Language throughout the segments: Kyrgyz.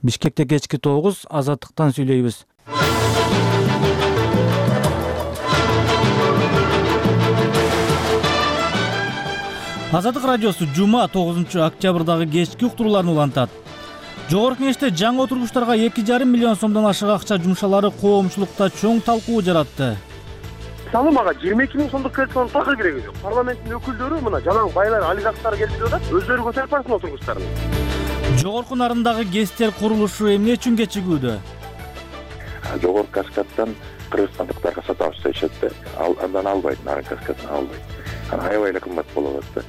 Бишкекте кечки 9, Азаттыктан сүйлөйбүз. Азаттык радиосу жума 9 октябрдагы кечки уктурууларын улантат. Жогорку Кеңеште жаңы отургучтарга 2,5 миллион сомдон ашык акча жумшалары коомчулукта чоң талкуу жаратты. Мисалы мага 22 миң сомдук кредитин такыр кереги жок. Парламенттин өкүлдөрү мына жалаң байлар, олигархтар келип жатат, өздөрү көтөрүп барсын отургучтарын. Жогорку нарындагы ГЭСтер курулушу эмне үчүн кечигүүдө? Жогорку каскадтан кыргызстандыктарга сатабыз дешет да. Андан албайт, нарын каскадын албайт. Аябай эле кымбат болот да.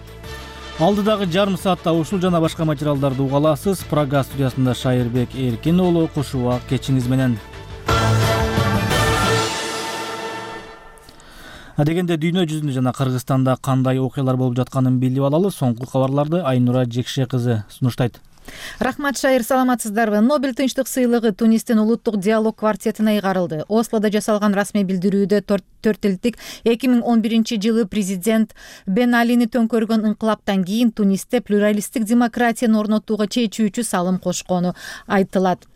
Алдыдагы жарым саатта ушул жана башка материалдарды уга аласыз. Прага студиясында Шайырбек Эркин уулу кушуба кечиңиз менен. Дегенде дүйнө жүзүндө жана Кыргызстанда кандай окуялар болуп жатканын билип алалы. Соңку кабарларды Айнура Жекше кызы сунуштайт. Рахмат, Шайыр, саламатсыздарбы? Нобель тынчтык сыйлыгы Тунистин улуттук диалог квартетине ыйгарылды. Ослодо жасалган расмий билдирүүдө 4 элдик 2011-жылы президент Бен Алини төңкөргөн инкылаптан кийин Тунисте плюралисттик демократияны орнотууга чечүүчү салым кошкону айтылат.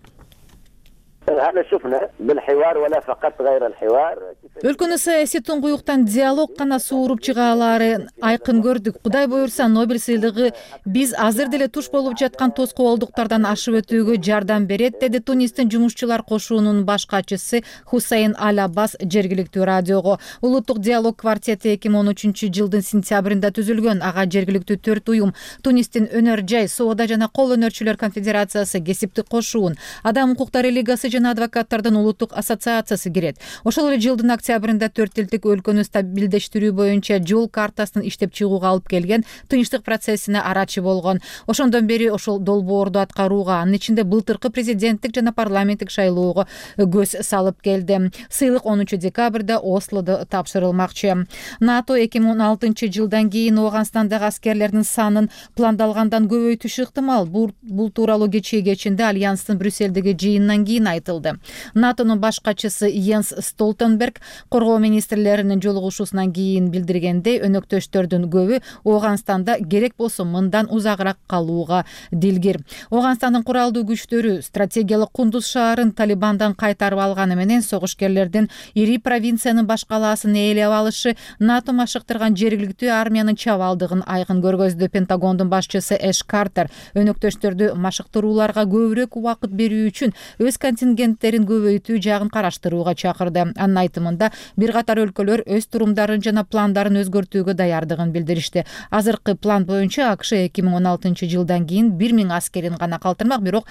Өлкөнү саясий туңгуюктан диалог гана сууруп чыга алаарын айкын көрдүк. Кудай буюрса, Нобель сыйлыгы биз азыр деле туш болуп жаткан тоскоолдуктардан ашып өтүүгө жардам берет, деди Тунистин жумушчулар кошуунун баш катчысы Хусейн Аль-Аббас жергиликтүү радиого. Улуттук диалог квартети 2013-жылдын сентябрында түзүлгөн. Ага жергиликтүү 4 уюм, Тунистин өнөр жай, соода жана кол өнөрчүлөр конфедерациясы, кесиптик кошуун, адам укуктары лигасы жана адвокаттардын улуттук ассоциациясы кирет. Ошол эле жылдын октябрында 4 элдик өлкөнү стабилдештирүү боюнча жол картасын иштеп чыгууга алып келген тынчтык процессине арачы болгон. Ошондон бери ошол долбоорду аткарууга, анын ичинде былтыркы президенттик жана парламенттик шайлоого көз салып келди. Сыйлык 10 декабрда Ослодо тапшырылмакчы. НАТО 2016-жылдан кийин Ооганстандагы аскерлердин санын пландалгандан көбөйтүшү ыктымал. Бул тууралуу кечинде Альянстын Брюссельдеги жыйынынан кийин айтылды. НАТОнун баш катчысы Йенс Столтенберг коргоо министрлеринин жолугушуусунан кийин билдиргендей, өнөктөштөрдүн көбү Ооганстанда керек болсо мындан узагыраак калууга дилгир. Ооганстандын куралдуу күчтөрү стратегиялык Кундуз шаарын Талибандан кайтарып алганы менен согушкерлердин ири провинциянын баш калаасын ээлеп алышы НАТО машыктырган жергиликтүү армиянын чабалдыгын айкын көргөздү. Пентагондун башчысы Эш Картер өнөктөштөрдү машыктырууларга көбүрөөк убакыт берүү үчүн өз контингенттерин көбөйтүү жагын караштырууга чакырды. Анын айтымында бир катар өлкөлөр өз турумдарын жана пландарын өзгөртүүгө даярдыгын билдиришти. Азыркы план боюнча АКШ 2016-жылдан кийин 1000 аскерин гана калтырмак, бирок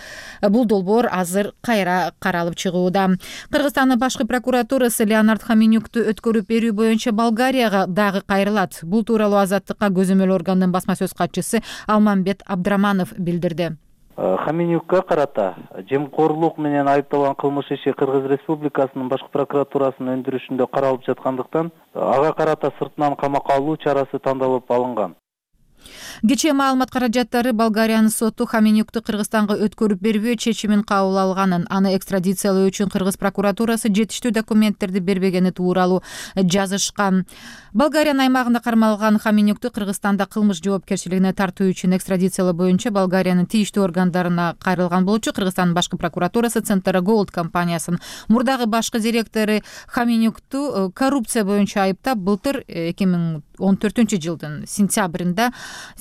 бул долбоор азыр кайра каралып чыгууда. Кыргызстандын башкы прокуратурасы Леонард Хаменюкту өткөрүп берүү боюнча Болгарияга дагы кайрылат. Бул тууралуу Азаттыкка көзөмөл органдын басма сөз катчысы Алмамбет Абдраманов билдирди. Хаменюкка карата жемкорлук менен айыпталган кылмыш иши Кыргыз Республикасынын башкы прокуратурасынын өндүрүшүндө каралып жаткандыктан ага карата сыртынан камакка алуу чарасы тандалып алынган. Кечээ маалымат каражаттары Болгариянын соту Хаменюкту Кыргызстанга өткөрүп бербөө чечимин кабыл алганын, аны экстрадициялоо үчүн Кыргыз прокуратурасы жетиштүү документтерди бербегени тууралуу жазышкан. Болгариянын аймагында кармалган Хаменюкту Кыргызстанда кылмыш жоопкерчилигине тартуу үчүн экстрадициялоо боюнча Болгариянын тийиштүү органдарына кайрылган болчу. Кыргызстандын башкы прокуратурасы Центра Gold компаниясынын мурдагы башкы директору Хаменюкту коррупция боюнча айыптап, былтыр 2014-жылдын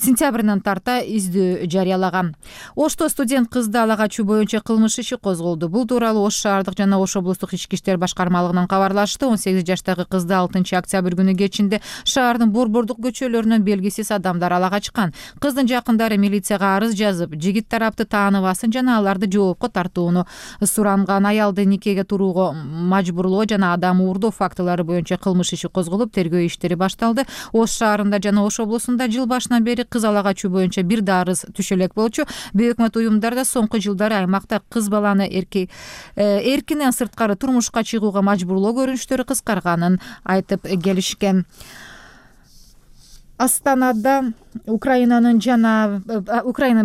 сентябрынан тарта издөө жарыялаган. Ошто студент кызды ала качуу боюнча кылмыш иши козголду. Бул тууралуу Ош шаардык жана Ош облустук ички иштер башкармалыгынан кабарлашты. 18 жаштагы кызды 6 октябрь күнү кечинде шаардын борбордук көчөлөрүнөн белгисиз адамдар ала качкан. Кыздын жакындары милицияга арыз жазып, жигит тарапты тааныбасын жана аларды жоопко тартууну суранган. Аялды никеге турууга мажбурлоо жана адам уурдоо фактылары боюнча кылмыш иши козголуп, тергөө иштери башталды. Ош шаарында жана Ош облусунда жыл башынан бери кыз ала качуу боюнча бир да арыз түшө элек болчу. Бейөкмөт уюмдарда соңку жылдары аймакта кыз баланы эркинен сырткары турмушка чыгууга мажбурлоо көрүнүштөрү кыскарганын айтып келишкен. Астанада Украинанын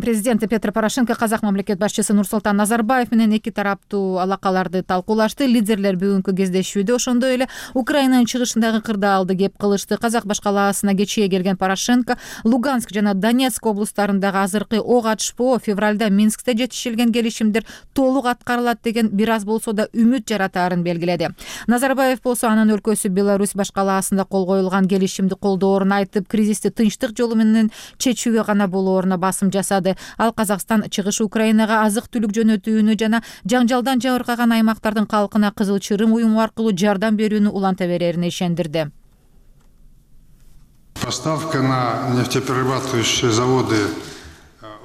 президенти Петр Порошенко казак мамлекет башчысы Нурсултан Назарбаев менен эки тараптуу алакаларды талкуулашты. Лидерлер бүгүнкү кездешүүдө ошондой эле Украинанын чыгышындагы кырдаалды кеп кылышты. Казак башкалаасына кечээ келген Порошенко Луганск жана Донецк облустарындагы азыркы ок атышпоо, февралда Минскте жетишилген келишимдер толук аткарылат деген бир аз болсо да үмүт жаратаарын белгиледи. Назарбаев болсо анын өлкөсү Беларусь башкалаасында кол коюлган келишимди колдоорун айтып, кризисти тынчтык жолу менен чечүүгө гана болооруна басым жасады. Ал Казакстан чыгыш Украинага азык-түлүк жөнөтүүнү жана жаңжалдан жабыркаган аймактардын калкына Кызыл Чырым уюму аркылуу жардам берүүнү уланта берерине ишендирди. Поставка на нефтеперерабатывающие заводы.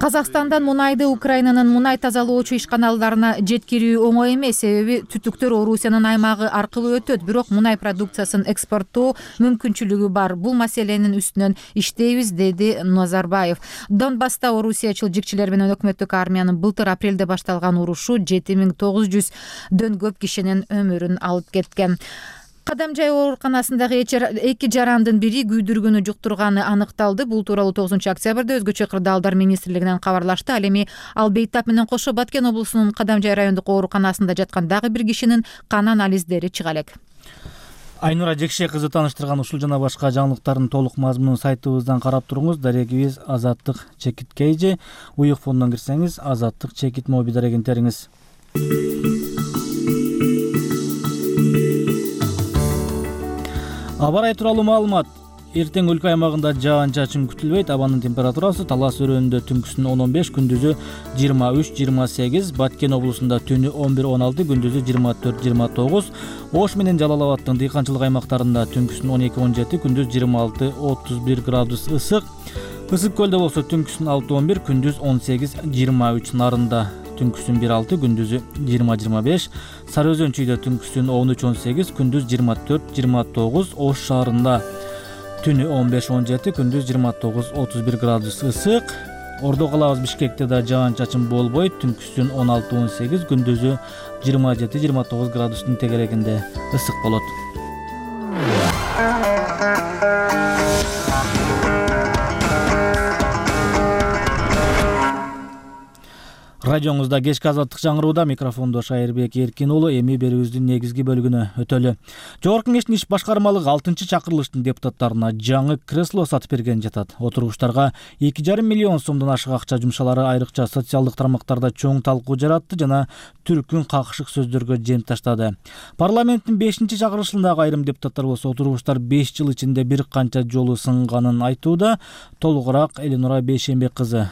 Казакстандан мунайды Украинанын мунай тазалоочу ишканаларына жеткирүү оңой эмес, себеби түтүктөр Орусиянын аймагы аркылуу өтөт, бирок мунай продукциясын экспорттоо мүмкүнчүлүгү бар. Бул маселенин үстүнөн иштейбиз, деди Назарбаев. Донбасста орусиячыл жикчилер менен өкмөттүк армиянын былтыр апрелде башталган урушу 7900дөн көп кишинин өмүрүн алып кеткен. Кадамжай ооруканасындагы эки жарандын бири күйдүргүнү жуктурганы аныкталды. Бул тууралуу 9 октябрда өзгөчө кырдаалдар министрлигинен кабарлашты. Ал эми Албейтап менен кошо Баткен облусунун Кадамжай райондук ооруканасында жаткан дагы бир кишинин кан анализдери чыга элек. Айнура Жекше кызы тааныштырган ушул жана башка жаңылыктардын толук мазмунун сайтыбыздан карап туруңуз. Дарегибиз Азаттык Чекит Кейже. Уюк фондон кирсеңиз Азаттык Чекит моби дарегинтериңиз. Аба ырайы тууралуу маалымат. Эртең өлкө аймагында жаан-чачын күтүлбөйт. Абанын температурасы Талас өрөөнүндө түнкүсүн 15, күндүзү 23-28, Баткен облусунда түнү 11-16, күндүзү 24-29, Ош менен Жалал Абадтын дыйканчылык аймактарында түнкүсүн 12-17, күндүз 26-31 градус ысык. Ысык көлдө болсо түнкүсүн 6-11, күндүз 18-23, Нарында түнкүсүн 1-6, күндүзү 20-25, Сары Өзөн чүйдө түнкүсүн 13-18, күндүз 24-29, Ош шаарында түнү 15-17, күндүз 29-31 градус ысык. Ордо калабыз Бишкекте да жаан-чачын болбойт, түнкүсүн 16-18, күндүзү 27-29 градустун тегерегинде ысык болот. Радионузда кечки азаттык жаңырууда, микрофондо Шайырбек Эркин уулу. Эми берүүбүздүн негизги бөлүгүнө өтөлү. Жогорку Кеңештин иш башкармалыгы 6-чакырылыштын депутаттарына жаңы кресло сатып берген жатат. Отургучтарга 2,5 миллион сомдон ашык акча жумшалары айрыкча социалдык тармактарда чоң талкуу жаратты жана түркүн какышык сөздөргө жем таштады. Парламенттин 5-чакырылышындагы айрым депутаттар болсо отургучтар 5 жыл ичинде бир канча жолу сынганын айтууда. Толугураак Эленура Бейшембек кызы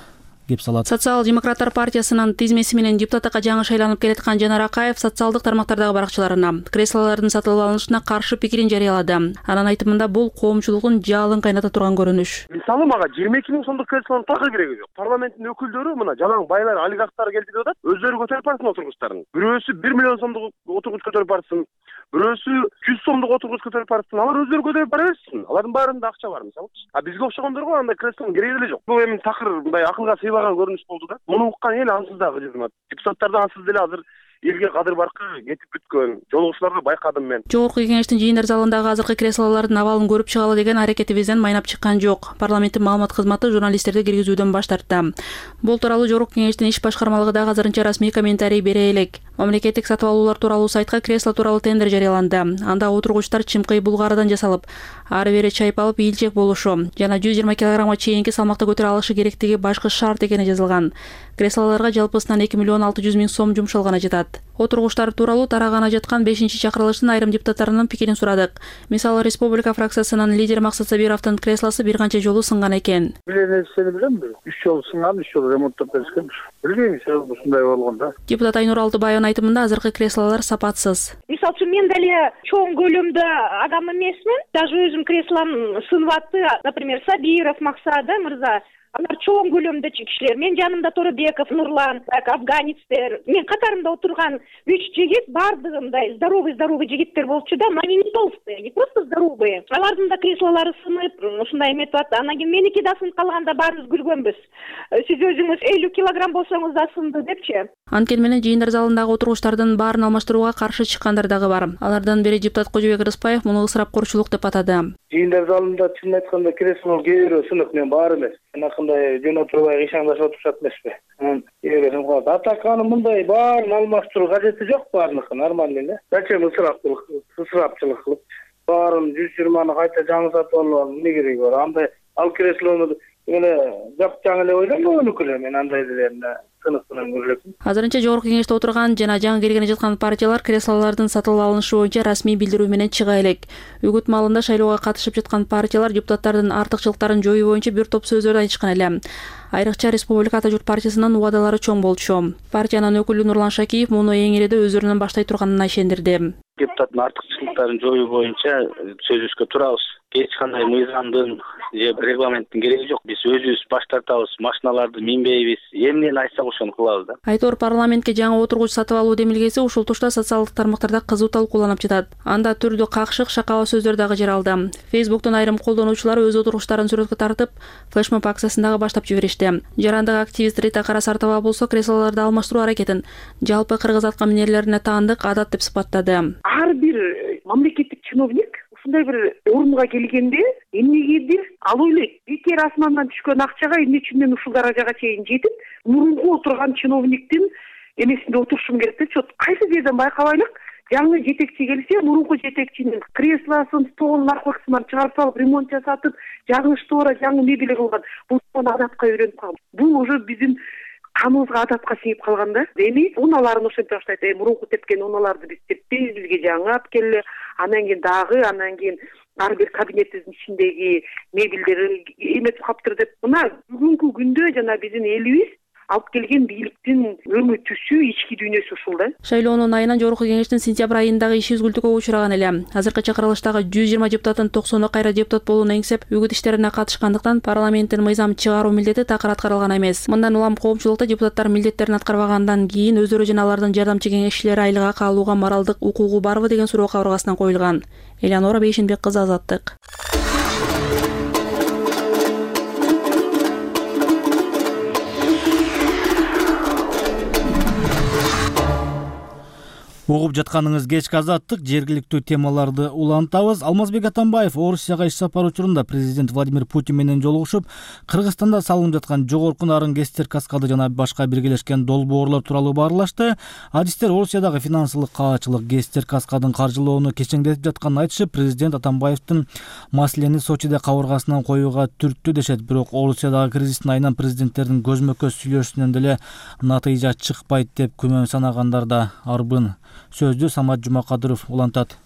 кеп салат. Социал-демократтар партиясынын тизмеси менен депутаттыкка жаңы шайланып келаткан Жанар Акаев социалдык тармактардагы баракчаларына креслолордун сатылып алынышына каршы пикирин жарыялады. Анын айтымында бул коомчулуктун жалын кайната турган көрүнүш. Мисалы мага 22 000 сомдук креслонун такыр кереги жок. Парламенттин өкүлдөрү мына жалаң байлар, олигархтар келди деп атат. Өздөрү көтөрүп барсын отургучтарын. Бирөөсү 1 миллион сомдук отургуч көтөрүп барсын. Бирөөсү 100 сомдук отургуч көтөрүп барсын. Алар өздөрү көтөрүп бара берсин. Алардын баарында акча бар мисалы. А бизге окшогондорго андай креслонун кереги деле жок. Бул эми такыр мындай акылга сыйбаган көрүнүш болду да. Муну уккан эл ансыз дагы жызмат. Депутаттар да ансыз деле азыр элге кадыр баркы кетип бүткөн. Жолугушууларга байкадым мен. Жогорку Кеңештин жыйындар залындагы азыркы креслолордун абалын көрүп чыгалы деген аракетибизден майнап чыккан жок. Парламенттин маалымат кызматы журналисттерди киргизүүдөн баш тартты. Бул тууралуу Жогорку Кеңештин иш башкармалыгы дагы азырынча расмий комментарий бере элек. Мамлекеттик сатып алуулар тууралуу сайтка кресло тууралуу тендер жарыяланды. Анда отургучтар чымкый булгарыдан жасалып, ары бери чайпалып ийилчек болушу жана 120 килограммга чейинки салмакта көтөрө алышы керектиги башкы шарт экени жазылган. Креслолорго жалпысынан 2 миллион 600 миң сом жумшалганы жатат. Отургучтар тууралуу тараганы жаткан 5-чакырылыштын айрым депутаттарынын пикирин сурадык. Мисалы, Республика фракциясынын лидери Максат Сабировдун креслосу бир канча жолу сынган экен. Билесени билемби? 3 жолу сынган, 3 жолу ремонттоп беришкен. Билбейм, себеби ушундай болгондо. Депутат Айнур Алтыбаевдын айтымында азыркы креслолор сапатсыз. Мисалы үчүн мен деле чоң көлөмдө адам эмесмин. Даже өзүм креслом сынып атты. Например, Сабиров Максат мырза. Алар чоң көлөмдө кишилер. Мен жанымда Торбеков, Нурлан, афганецтер. Мен катарымда отурган 3 жигит бардыгы мындай здоровый жигиттер болчу да, но они не толстые, не просто здоровые. Алардын да креслолору сынып, ушундай эметип атты. Анан кийин меники да сынып калганда баарыбыз күлгөнбүз. Сиз өзүңүз 50 килограмм болсоңуз да сынды депчи. Анткени менен жыйындар залындагы отургучтардын баарын алмаштырууга каршы чыккандар дагы бар. Алардан бири депутат Кожобек Рыспаев муну ысырапкорчулук деп атады. жыйындар залында чынын айтканда кресло кээ бирөө сынык, мен баары эмес. Анакындай жөн отурбай ишаңдашып отурушат эмеспи. Кээ бирөө сынык. Атаканы мындай баарын алмаштыруу кажети жок, баарыныкы нормальный эле. Зачем ысырапчылык кылып баарын 120-ны кайта жаңы сатып алып эмне кереги бар? Андай ал креслону эле жапчаң эле ойлонбойнук эле, мен андай делерне сынык менен көрөлөкмүн. Азырынча жогорку кеңеште отурган жана жаңы киргени жаткан партиялар креслолордун сатылып алынышы боюнча расмий билдирүү менен чыга элек. Үгүт маалында шайлоого катышып жаткан партиялар депутаттардын артыкчылыктарын жоюу боюнча бир топ сөздөрдү айтышкан эле. Айрыкча Республика Ата журт партиясынын убадалары чоң болчу. Партиянын өкүлү Нурлан Шакиев муну эң иреде өздөрүнөн баштай турганына ишендирди. Депутаттын артыкчылыктарын жоюу боюнча сөзүбүзгө турабыз. Эч кандай мыйзамдын же регламенттин кереги жок. Биз өзүбүз баш тартабыз, машиналарды минбейбиз, эмнени айтсак ошону кылабыз да. Айтор парламентке жаңы отургуч сатып алуу демилгеси ушул тушта социалдык тармактарда кызуу талкууланып жатат. Анда түрдүү какшык, шакала сөздөр дагы жаралды. Facebook'тон айрым колдонуучулар өз отургучтарын сүрөткө тартып, флешмоб акциясын дагы баштап жиберишти. Жарандык активист Рита Карасартова болсо креслолорду алмаштыруу аракетин жалпы кыргыз атка минерлерине таандык адат деп сыпаттады. Ар бир мамлекеттик чиновник ушундай бир орунга келгенде эмнегедир ал ойлойт, бекер асмандан түшкөн акчага эмне үчүн мен ушул даражага чейин жетип, мурунку отурган чиновниктин эмесинде отурушум керек депчи. Кайсы жерден байкабайлык, жаңы жетекчи келсе, мурунку жетекчинин креслосын, столун, наркотикасын чыгарып салып, ремонт жасатып, жаңы штора, жаңы мебель кылган. Бул адатка үйрөнүп калган. Бул уже биздин каныбызга адатка сиңип калган да. Эми уналарын ошентип баштайт. Мурунку тепкен уналарды биз теппейбиз, бизге жаңы алып келе. Анан кийин ар бир кабинетибиздин ичиндеги мебелдер эметип калыптыр деп. Мына бүгүнкү күндө жана биздин элибиз алып келген бийликтин өңү түсү, ички дүйнөсү ушул да. Шайлоонун айынан жогорку кеңештин сентябрь айындагы иши үзгүлтүккө учураган эле. Азыркы чакырылыштагы 120 депутаттын 90-у кайра депутат болууну эңсеп, үгүт иштерине катышкандыктан парламенттин мыйзам чыгаруу милдети такыр аткарылган эмес. Мындан улам коомчулукта депутаттар милдеттерин аткарбагандан кийин өздөрү жана алардын жардамчы кеңешчилери айлык акы алууга моралдык укугу барбы деген суроо кабыргасынан коюлган. Элеонора Бейшенбек кызы, Азаттык. Угуп жатканыңыз кечки Азаттык, жергиликтүү темаларды улантабыз. Алмазбек Атамбаев Орусияга иш сапар учурунда президент Владимир Путин менен жолугушуп, Кыргызстанда салынып жаткан жогорку нарын ГЭСтер каскады жана башка биргелешкен долбоорлор тууралуу баарлашты. Адистер Орусиядагы финансылык каачылык ГЭСтер каскадын каржылоону кечеңдетип жатканын айтышып, президент Атамбаевдин маселени Сочиде кабыргасынан коюуга түрттү дешет. Бирок Орусиядагы кризистин айынан президенттердин көзмө-көз сүйлөшүүнөн деле натыйжа чыкпайт деп күмөн санагандар да арбын. Сөздү Самат Жумакадыров улантат.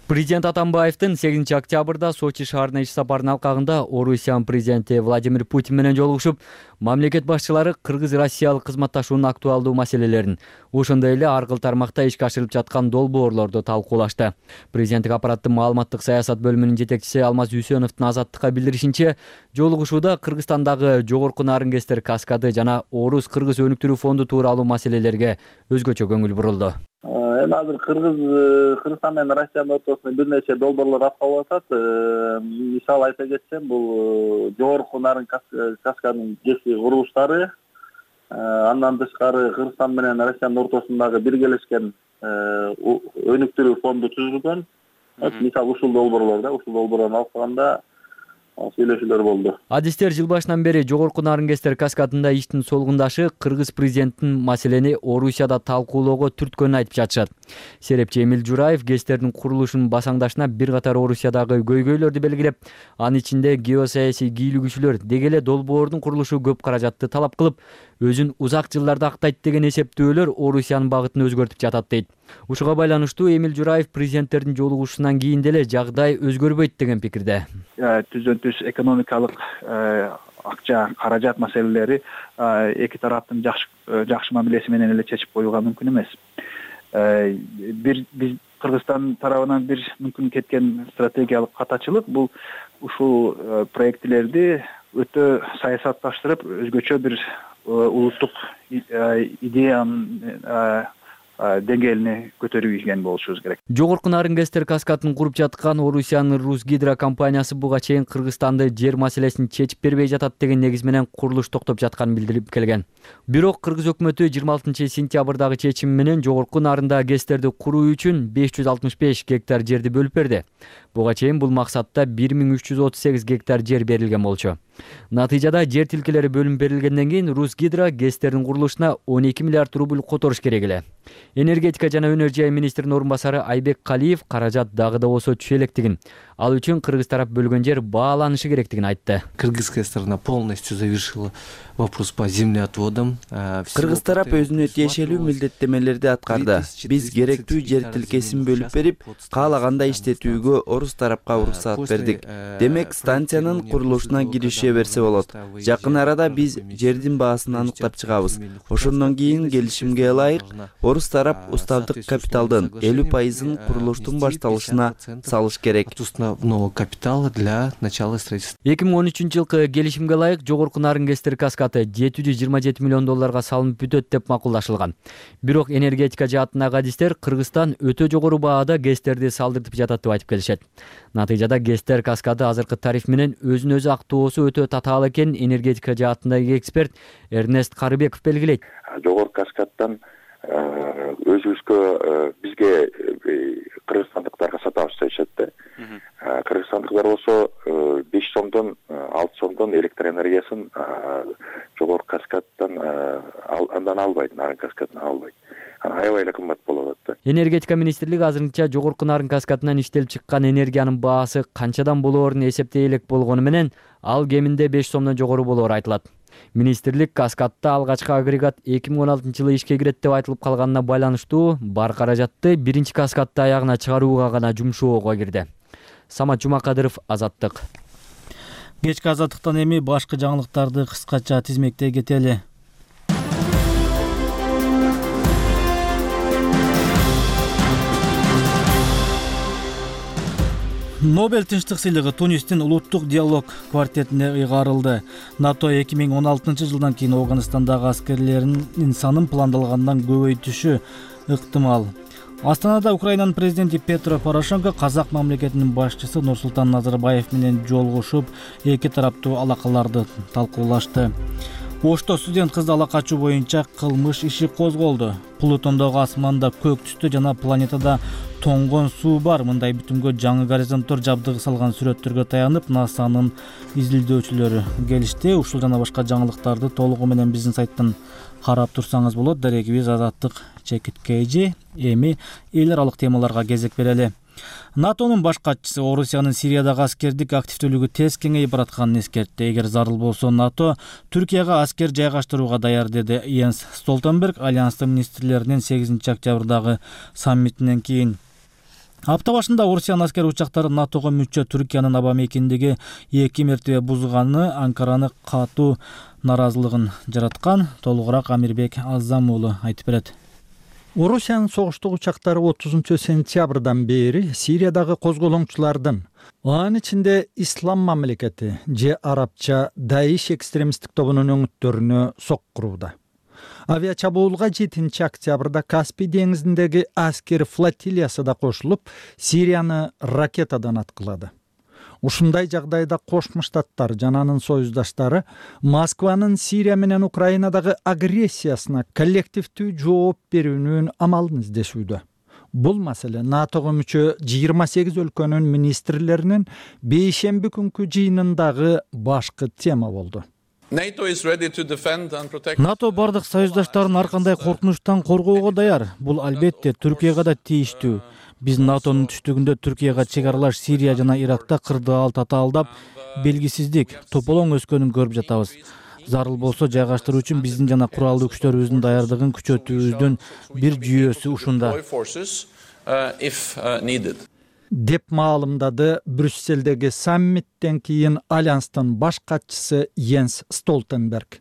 Президент Атамбаевдин 8 октябрда Сочи шаарына иш сапарынын алкагында Орусиянын президенти Владимир Путин менен жолугушуп, мамлекет башчылары кыргыз-россиялык кызматташуунун актуалдуу маселелерин, ошондой эле ар кыл тармакта ишке ашырылып жаткан долбоорлорду талкуулашты. Президенттик аппараттын маалыматтык саясат бөлүмүнүн жетекчиси Алмаз Үсөновдун Азаттыкка билдиришинче, жолугушууда Кыргызстандагы жогорку нарын ГЭСтер каскады жана Орус-Кыргыз өнүктүрүү фонду тууралуу маселелерге өзгөчө көңүл бурулду. Эми азыр Кыргызстан менен Россиянын ортосунда бир нече долбоорлор аткалып атат. Мисал айта кетсем, бул жогорку нарын каскадын ГЭСи курулуштары, андан тышкары Кыргызстан менен Россиянын ортосундагы биргелешкен өнүктүрүү фонду түзүлгөн. Мисал ушул долбоорлордон алганда сүйлөшүүлөр болду. Адистер жыл башынан бери жогорку нарын ГЭСтер каскадында иштин солгундашы Кыргыз президентинин маселени Орусияда талкуулоого түрткөнүн айтып жатышат. Серепчи Эмил Жураев ГЭСтердин курулушунун басаңдашына бир катар Орусиядагы көйгөйлөрдү белгилеп, анын ичинде геосаясий кийлигүүчүлөр дегеле долбоордун курулушу көп каражатты талап кылып, өзүн узак жылдарды актайт деген эсептөөлөр Орусиянын багытын өзгөртүп жатат дейт. Ушуга байланыштуу Эмил Жураев президенттердин жолугушуусунан кийин деле жагдай өзгөрбөйт деген пикирде. Түз экономикалык акча, каражат маселелери эки тараптын жакшы мамилеси менен эле чечип коюуга мүмкүн эмес. Биз Кыргызстан тарабынан бир мүмкүн кеткен стратегиялык катачылык бул ушул проектлерди өтө саясатташтырып, өзгөчө бир улуттук идеянын деңгээлине көтөрүп ийген болушубуз керек. Жогорку Нарынгестер каскадын куруп жаткан Орусиянын Русгидро компаниясы буга чейин Кыргызстанды жер маселесин чечип бербей жатат деген негиз менен курулуш токтоп жатканын билдирип келген. Бирок Кыргыз өкмөтү 26-сентябрдагы чечим менен Жогорку Нарында ГЭСтерди куруу үчүн 565 гектар жерди бөлүп берди. Буга чейин бул максатта 1338 гектар жер берилген болчу. Натыйжада жер тилкелери бөлүнүп берилгенден кийин Русгидро ГЭСтердин курулушуна 12 миллиард рубль которуш керек эле. Энергетика жана өнөр жай министринин орун басары Айбек Калиев каражат дагы да болсо түшө элекдигин, ал үчүн Кыргыз тарап бөлгөн жер бааланышы керектигин айтты. Кыргызская сторона полностью завершила вопрос по землеотводам. Кыргыз тарап өзүнө тиешелүү милдеттемелерди аткарды. Биз керектүү жер тилкесин бөлүп берип, каалагандай иштетүүгө орус тарапка уруксаат бердик. Демек, станциянын курулушуна кирише берсе болот. Жакын арада биз жердин баасын аныктап чыгабыз. Ошондон кийин келишимге ылайык орус тарап уставдык капиталдын 50%-ын курулуштун башталышына салыш керек. Основного капитала для начала строительства. 2013-жылкы келишимге ылайык Жогорку Нарынгестер каскады 727 миллион долларга салынып бүтөт деп макулдашылган. Бирок энергетика жаатындагы адистер Кыргызстан өтө жогору баада ГЭСтерди салдыртып жатат деп айтып келишет. Натыйжада ГЭСтер каскады азыркы тариф менен өзүн-өзү актоосу өтө татаал экенин энергетика жаатындагы эксперт Эрнест Карыбеков белгилейт. Жогорку каскаддан өзүбүзгө бизге кыргызстандыктарга сатабыз дешет да. Кыргызстандыктар болсо 5 сомдон 6 сомдон электр энергиясын жогорку каскаддан андан албайт, Нарын каскадынан албайт. Аябай эле кымбат болуп атат да. Энергетика министрлиги азырынча Жогорку Нарын каскадынан иштелип чыккан энергиянын баасы канчадан болоорун эсептей элек болгону менен ал кеминде 5 сомдон жогору болоору айтылат. Министрлик каскадда алгачкы агрегат 2016-жылы ишке кирет деп айтылып калганына байланыштуу бар каражатты биринчи каскадды аягына чыгарууга гана жумшоого кирди. Самат Жумакадыров, Азаттык. Кечки Азаттыктан эми башкы жаңылыктарды кыскача тизмектей кетели. Нобель тынчтык сыйлыгы Тунистин улуттук диалог квартетине ыйгарылды. НАТО 2016-жылдан кийин Афганистандагы аскерлеринин санын пландалгандан көбөйтүшү ыктымал. Астанада Украинанын президенти Петро Порошенко казак мамлекетинин башчысы Нурсултан Назарбаев менен жолугушуп, эки тараптуу алакаларды талкуулашты. Ошто студент кызды ала качуу боюнча кылмыш иши козголду. Плутондогу асманда көк түстө жана планетада тоңгон суу бар. Мындай бүтүмгө жаңы горизонттор жабдыгы салган сүрөттөргө таянып, НАСАнын изилдөөчүлөрү келишти. Ушул жана башка жаңылыктарды толугу менен биздин сайттан карап турсаңыз болот. Дарегибиз Азаттык чекиткейжи. Эми эл аралык темаларга кезек берели. НАТОнун баш катчысы Орусиянын Сириядагы аскердик активдүүлүгү тез кеңейип баратканын эскертти. Эгер зарыл болсо НАТО Түркияга аскер жайгаштырууга даяр, деди Йенс Столтенберг Альянстын министрлеринин 8-октябрдагы саммитинен кийин. Апта башында Орусиянын аскер учактары НАТОго мүчө Түркиянын аба мекендиги 2 мертебе бузганы Анкараны катуу наразылыгын жараткан. Толугураак Амирбек Аззам уулу айтып берет. Орусиянын согуштук учактары 30-сентябрдан бери Сириядагы козголоңчулардын, анын ичинде Ислам мамлекети же арабча Даиш экстремисттик тобунун өңүттөрүнө соккурууда. Авиачабуулга 7-октябрда Каспий деңизиндеги аскер флотилиясы да кошулуп, Сирияны ракетадан аткылады. Ушундай жагдайда Кошмо Штаттар жана анын союздаштары Москванын Сирия менен Украинадагы агрессиясына коллективдүү жооп берүүнүн амалын издешүүдө. Бул маселе НАТОго мүчө 28 өлкөнүн министрлеринин бейшемби күнкү жыйынындагы башкы тема болду. НАТО бардык союздаштарын ар кандай коркунучтан коргоого даяр. Бул албетте Түркияга да тийиштүү. Биз НАТОнун түштүгүндө Түркияга чек аралаш Сирия жана Иракта кырдаал татаалдап, белгисиздик, тополоң өскөнүн көрүп жатабыз. Зарыл болсо жайгаштыруу үчүн биздин жана куралдуу күчтөрүбүздүн даярдыгын күчөтүүбүздүн бир жүйөсү ушунда, деп маалымдады Брюсселдеги саммиттен кийин Альянстын баш катчысы Йенс Столтенберг.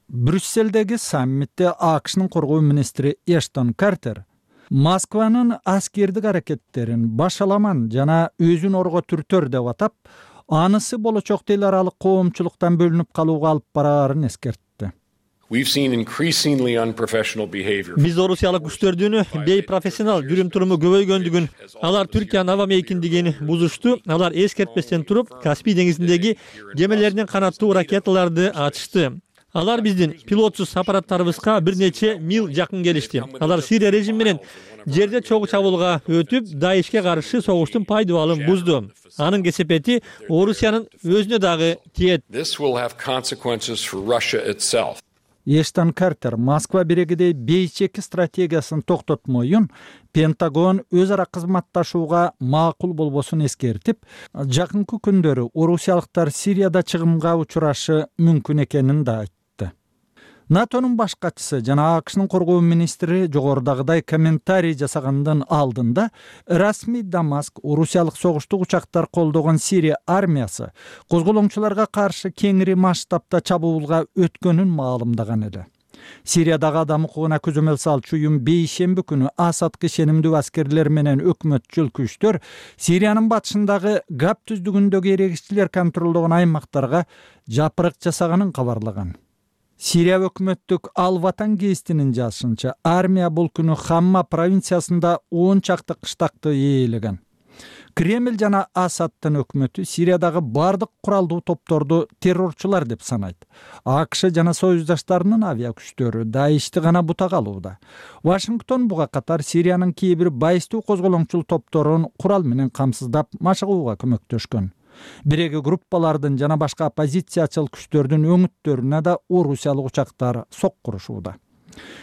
Брюсселдеги саммитте АКШнын коргоо министри Эштон Картер Москванын аскердик аракеттерин башаламан жана өзүн орго түртөр деп атап, анысы болочокто эл аралык коомчулуктан бөлүнүп калууга алып бараарын эскертти. Биз орусиялык күчтөрдүн бейпрофессионал жүрүм-туруму көбөйгөндүгүн, алар Түркиянын аба мейкиндигин бузушту. Алар эскертпестен туруп, Каспий деңизиндеги кемелердин канаттуу ракеталарды ачышты. Алар биздин пилотсуз аппараттарыбызга бир нече мил жакын келишти. Алар Сирия режими менен жерде чогуу чабуулга өтүп, Даишке каршы согуштун пайдубалын бузду. Анын кесепети Орусиянын өзүнө дагы тиет. Эштон Картер Москва бирегидей бейчеки стратегиясын токтотмоюн Пентагон өз ара кызматташууга макул болбосун эскертип, жакынкы күндөрү орусиялыктар Сирияда чыгымга учурашы мүмкүн экенин да айтты. НАТОнун баш катчысы жана АКШнын коргоо министри жогорудагыдай комментарий жасагандан алдында расмий Дамаск орусиялык согуштук учактар колдогон Сирия армиясы козголоңчуларга каршы кеңири масштабта чабуулга өткөнүн маалымдаган эле. Сириядагы адам укугуна көзөмөл салчу уюм бейшемби күнү Асадка ишенимдүү аскерлер менен өкмөтчүл күчтөр Сириянын батышындагы Гап түздүгүндөгү эрегиччилер контролдогон аймактарга жапырык жасаганын кабарлаган. Сирия өкмөттүк Ал-Ватан гезитинин жазышынча, армия бул күнү Хамма провинциясында 10 чакты кыштакты ээлеген. Кремль жана Асадтын өкмөтү Сириядагы бардык куралдуу топторду террорчулар деп санайт. АКШ жана союздаштарынын авиа күчтөрү Даишти гана бутак алууда. Вашингтон буга катар Сириянын кээ бир байыстуу козголоңчул топторун курал менен камсыздап машыгууга көмөктөшкөн. Биреги группалардын жана башка оппозициячыл күчтөрдүн өңүттөрүнө да орусиялык учактар соккурушууда.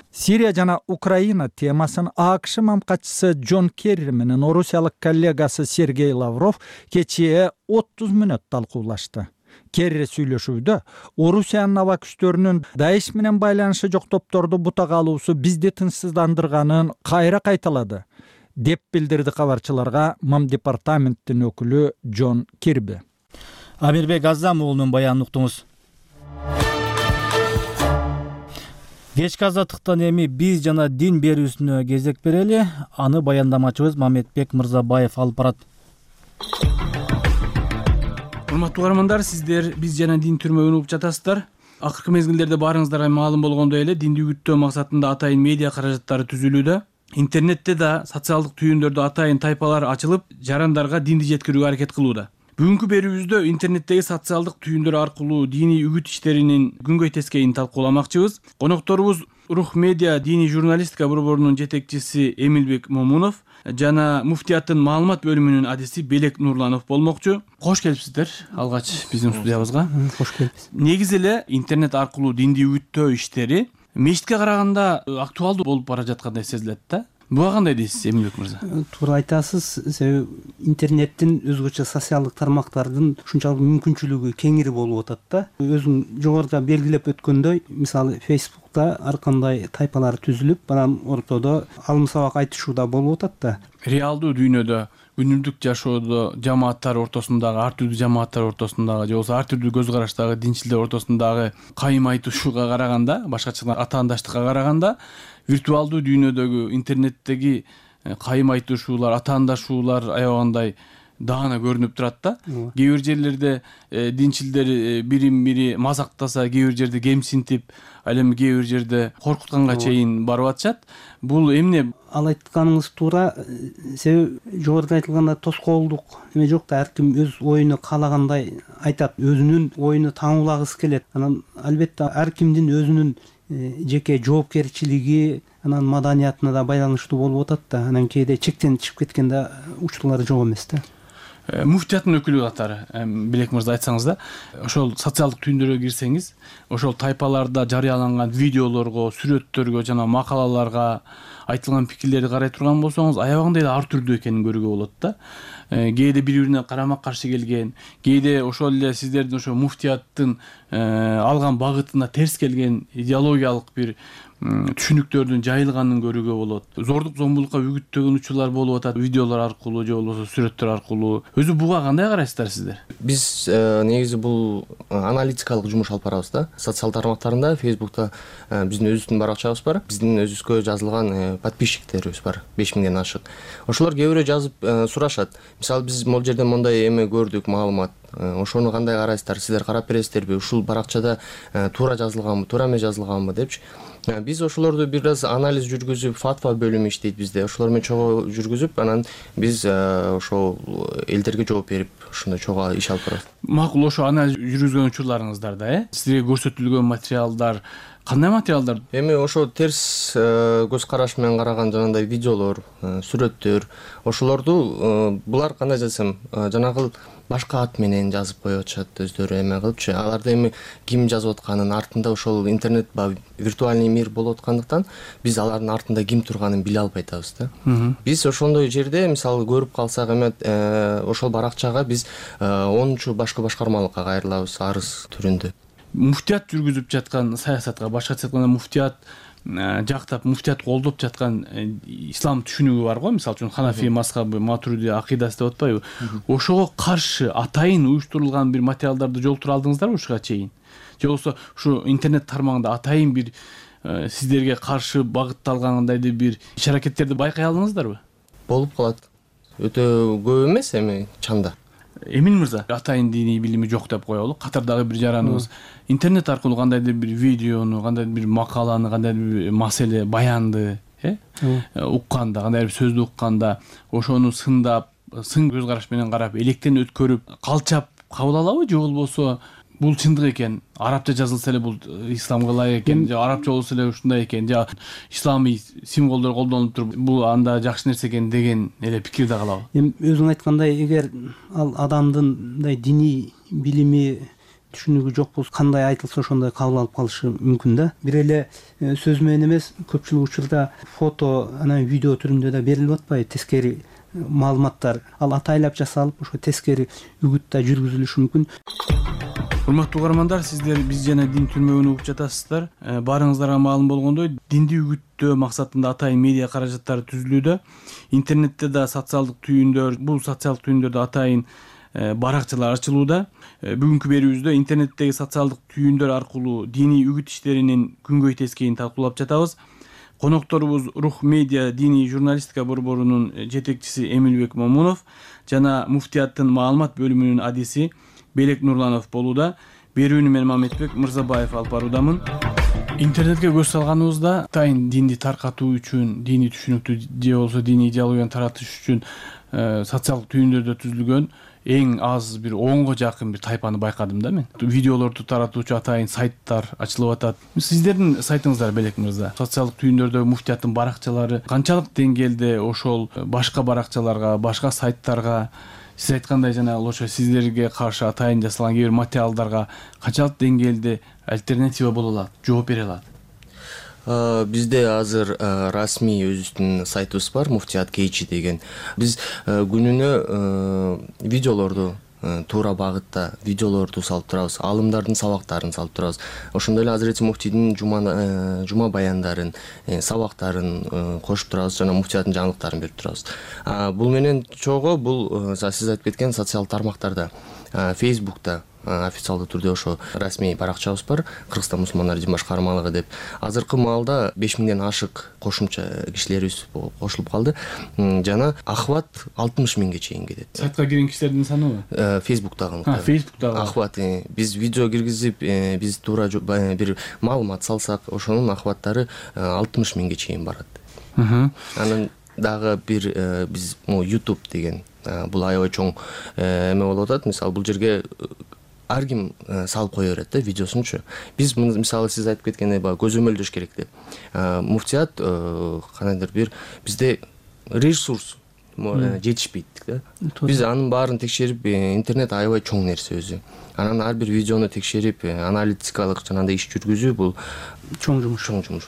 Сирия жана Украина темасын АКШ мамкатчысы Джон Керри менен орусиялык коллегасы Сергей Лавров кечээ 30 мүнөт талкуулашты. Керри сүйлөшүүдө Орусиянын аба күчтөрүнүн Даиш менен байланышы жок топторду бутак алуусу бизди тынчсыздандырганын кайра кайталады, деп билдирди кабарчыларга МАМ департаменттин өкүлү Джон Кирби. Амирбек Азам уулунун баянын уктуңуз. Кечки азаттыктан эми биз жана дин берүүсүнө кезек берели. Аны баяндамачыбыз Мамедбек Мырзабаев алып барат. Урматтуу каармандар, сиздер биз жана дин түрмөгүн угуп жатасыздар. Акыркы мезгилдерде баарыңыздарга маалым болгондой эле динди үгүттөө максатында атайын медиа каражаттары түзүлүүдө. Интернетте да социалдык түйүндөрдө атайын тайпалар ачылып, жарандарга динди жеткирүүгө аракет кылууда. Бүгүнкү берүүбүздө интернеттеги социалдык түйүндөр аркылуу диний үгүт иштеринин күнгөй тескейин талкууламакчыбыз. Конокторубуз Рух медиа диний журналистика борборунун жетекчиси Эмилбек Момунов жана муфтияттын маалымат бөлүмүнүн адиси Белек Нурланов болмокчу. Кош келипсиздер алгач биздин студиябызга. Кош келипсиз. Негизи эле интернет аркылуу динди үгүттөө иштери мечитке караганда актуалдуу болуп бара жаткандай сезилет да. Буга кандай дейсиз, Эмилбек мырза? Туура айтасыз. Себеби интернеттин өзгөчө социалдык тармактардын ушунчалык мүмкүнчүлүгү кеңири болуп атат да. Өзүң жогоруда белгилеп өткөндөй, мисалы Facebook'та ар кандай тайпалар түзүлүп, анан ортодо алым сабак айтышууда болуп атат да. Реалдуу дүйнөдө, күнүмдүк жашоодо жамааттар ортосундагы, ар түрдүү жамааттар ортосундагы же болбосо ар түрдүү көз караштагы динчилер ортосундагы кайым айтышууга караганда, башкача атаандаштыкка караганда, виртуалдуу дүйнөдөгү интернеттеги кайым айтышуулар, атаандашуулар аябагандай даана көрүнүп турат да. Кээ бир жерлерде динчилдер бирин бири мазактаса, кээ бир жерде кемсинтип, ал эми кээ бир жерде коркутканга чейин барып атышат. Бул эмне? Ал айтканыңыз туура. Себеби жогоруда айтылгандай тоскоолдук эме жок да, ар ким өз оюну каалагандай айтат, өзүнүн оюну таңуулагысы келет. Анан албетте ар кимдин өзүнүн жеке жоопкерчилиги, анан маданиятына да байланыштуу болуп атат да. Анан кээде чектен чыгып кеткен да учурлар жок эмес да. Муфтияттын өкүлү катары Белек мырза айтсаңыз да, ошол социалдык түйүндөргө кирсеңиз, ошол тайпаларда жарыяланган видеолорго, сүрөттөргө жана макалаларга айтылган пикирлерди карай турган болсоңуз, аябагандай ар түрдүү экенин көрүүгө болот да. Кээде бири-бирине карама каршы келген, кээде ошол эле сиздердин ошо муфтияттын алган багытына терс келген идеологиялык бир түшүнүктөрдүн жайылганын көрүүгө болот. Зордук зомбулукка үгүттөгөн учурлар болуп атат видеолор аркылуу же болбосо сүрөттөр аркылуу. Өзү буга кандай карайсыздар сиздер? Биз негизи бул аналитикалык жумуш алып барабыз да. Социал тармактарында, Facebook'та биздин өзүбүздүн баракчабыз бар. Биздин өзүбүзгө жазылган подписчиктерибиз бар, 5000ден ашык. Ошолор кээ бирөө жазып сурашат. Мисалы биз могул жерден мондай эме көрдүк, маалымат. ошону кандай карайсыздар, сиздер карап бересиздерби, ушул баракчада туура жазылганбы, туура эмес жазылганбы депчи. Биз ошолорду бир аз анализ жүргүзүп, фатва бөлүмү иштейт бизде. Ошолор менен чогуу жүргүзүп, анан биз ошол элдерге жооп берип, ошондой чогуу иш алып барабыз. Макул, ошо анализ жүргүзгөн учурларыңыздарда сизге көрсөтүлгөн материалдар кандай материалдар? Эми ошо терс көз караш менен караган жанагындай видеолор, сүрөттөр, ошолорду булар кандай десем, жанагы башка ат менен жазып коюп атышат өздөрү эме кылыпчы. Аларды эми ким жазып атканын артында ошол интернет виртуальный мир болуп аткандыктан биз алардын артында ким турганын биле албай атабыз да. Биз ошондой жерде мисалы көрүп калсак эме ошол баракчага биз 10 башкы башкармалыкка кайрылабыз арыз түрүндө. Муфтият жүргүзүп жаткан саясатка, башкача айтканда муфтият жактап, муфтият колдоп жаткан ислам түшүнүгү бар го, мисалы үчүн Ханафи мазхабы, Матуриди акыйдасы деп атпайбы? Ошого каршы атайын уюштурулган бир материалдарды жолтура алдыңыздарбы ушуга чейин? Же болбосо ушу интернет тармагында атайын бир сиздерге каршы багытталгандайдыр бир иш-аракеттерди байкай алдыңыздарбы? Болуп калат. Өтө көп эмес эми чанда. Эмин мырза, атайын диний билими жок деп коелу. Катардагы бир жараныбыз интернет аркылуу кандайдыр бир видеону, кандайдыр бир макаланы, кандайдыр бир маселе, баянды, укканда, кандайдыр бир сөздү укканда, ошону сындап, сын көз караш менен карап, электен өткөрүп, калчап кабыл алабы, же болбосо бул чындык экен, арабча жазылса эле бул исламга ылайык экен, же арабча болсо эле ушундай экен, же исламий символдор колдонулуп туруп, бул анда жакшы нерсе экен деген эле пикирде калабы? Эми өзүң айткандай, эгер ал адамдын мындай диний билими түшүнүгү жок болсо, кандай айтылса ошондой кабыл алып калышы мүмкүн да. Бир эле сөз менен эмес, көпчүлүк учурда фото, анан видео түрүндө да берилип атпайбы, тескери маалыматтар. Ал атайлап жасалып, ошо тескери үгүт да жүргүзүлүшү мүмкүн. Урматтуу угармандар, сиздер биз жана дин түрмөгүн угуп жатасыздар. Баарыңыздарга маалым болгондой, динди үгүттөө максатында атайын медиа каражаттары түзүлүүдө. Интернетте да социалдык түйүндөр, бул социалдык түйүндөрдө атайын баракчалар ачылууда. Бүгүнкү берүүбүздө интернеттеги социалдык түйүндөр аркылуу диний үгүт иштеринин күнгөй тескейин талкуулап жатабыз. Конокторубуз Рух медиа диний журналистика борборунун жетекчиси Эмилбек Момунов жана муфтияттын маалымат бөлүмүнүн адиси Белек Нурланов болууда. Берүүнү мен Мамедбек Мырзабаев алып баруудамын. Интернетке көз салганыбызда атайын динди таркатуу үчүн, диний түшүнүктү же болбосо диний идеологияны таратыш үчүн социалдык түйүндөрдө түзүлгөн эң аз бир 10го жакын бир тайпаны байкадым да мен. Видеолорду таратуучу атайын сайттар ачылып атат. Сиздердин сайтыңыздар, Белек мырза, социалдык түйүндөрдө муфтияттын баракчалары канчалык деңгээлде ошол башка баракчаларга, башка сайттарга, сиз айткандай жана ошо сиздерге каршы атайын жасалган кээ бир материалдарга канчалык деңгээлде альтернатива боло алат, жооп бере алат? Бизде азыр расмий өзүбүздүн сайтыбыз бар, Муфтият Кейчи деген. Биз күнүнө видеолорду, туура багытта видеолорду салып турабыз, аалымдардын сабактарын салып турабыз. Ошондой эле Азирети муфтийдин жума баяндарын, сабактарын кошуп турабыз жана муфтияттын жаңылыктарын берип турабыз. Бул менен чогуу бул сиз айтып кеткен социал тармактарда, Facebook'та официалдуу түрдө ошо расмий баракчабыз бар, Кыргызстан мусулмандар дин башкармалыгы деп. Азыркы маалда 5000ден ашык кошумча кишилерибиз кошулуп калды жана охват 60 миңге чейин кетет. Сайтка кирген кишилердин саныбы? Facebook'тагы. Facebook'тагы. Охват биз видео киргизип, биз туура бир маалымат салсак, ошонун охваттары 60 миңге чейин барат. Анан дагы бир биз YouTube деген бул аябай чоң эме болуп атат. Мисалы бул жерге ар ким салып кое берет да видеосунчу. Биз мисалы сиз айтып кеткендей көзөмөлдөш керек деп. Муфтият кандайдыр бир бизде ресурс жетишпейт да. Биз анын баарын текшерип, интернет аябай чоң нерсе өзү. Анан ар бир видеону текшерип, аналитикалык жанагындай иш жүргүзүү бул чоң жумуш.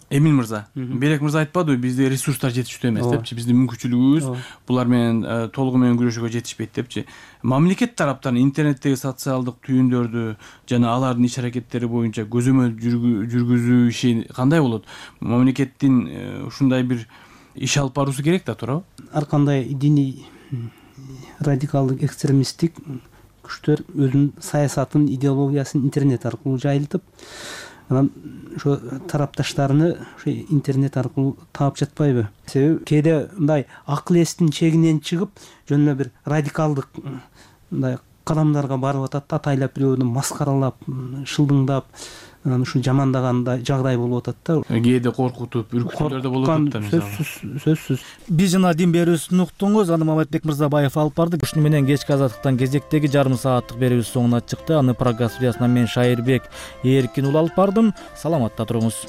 Эмин мырза, Белек мырза айтпадыбы, бизде ресурстар жетиштүү эмес депчи, биздин мүмкүнчүлүгүбүз булар менен толугу менен күрөшүүгө жетишпейт депчи. Мамлекет тараптан интернеттеги социалдык түйүндөрдү жана алардын иш-аракеттери боюнча көзөмөл жүргүзүү иши кандай болот? Мамлекеттин ушундай бир иш алып баруусу керек да, туурабы? Ар кандай диний радикалдык экстремисттик күчтөр өзүнүн саясатын, идеологиясын интернет аркылуу жайылтып, анан ошо тарапташтарыны ошо интернет аркылуу таап жатпайбы? Себеби кээде мындай акыл эстин чегинен чыгып, жөн эле бир радикалдык мындай кадамдарга барып атат, атайлап бирөөнү маскаралап, шылдыңдап ушу жамандагандай жагдай болуп атат да. Кээде коркутуп, үркүтүүлөр да болуп атат да мисалы. Сөзсүз. Биз жана дин берүүсүн уктуңуз. Аны Маматбек Мырзабаев алып барды. Ушуну менен кечки азаттыктан кезектеги жарым сааттык берүүбүз соңуна чыкты. Аны программа студиясынан мен Шайырбек Эркин ул алып бардым. Саламатта туруңуз.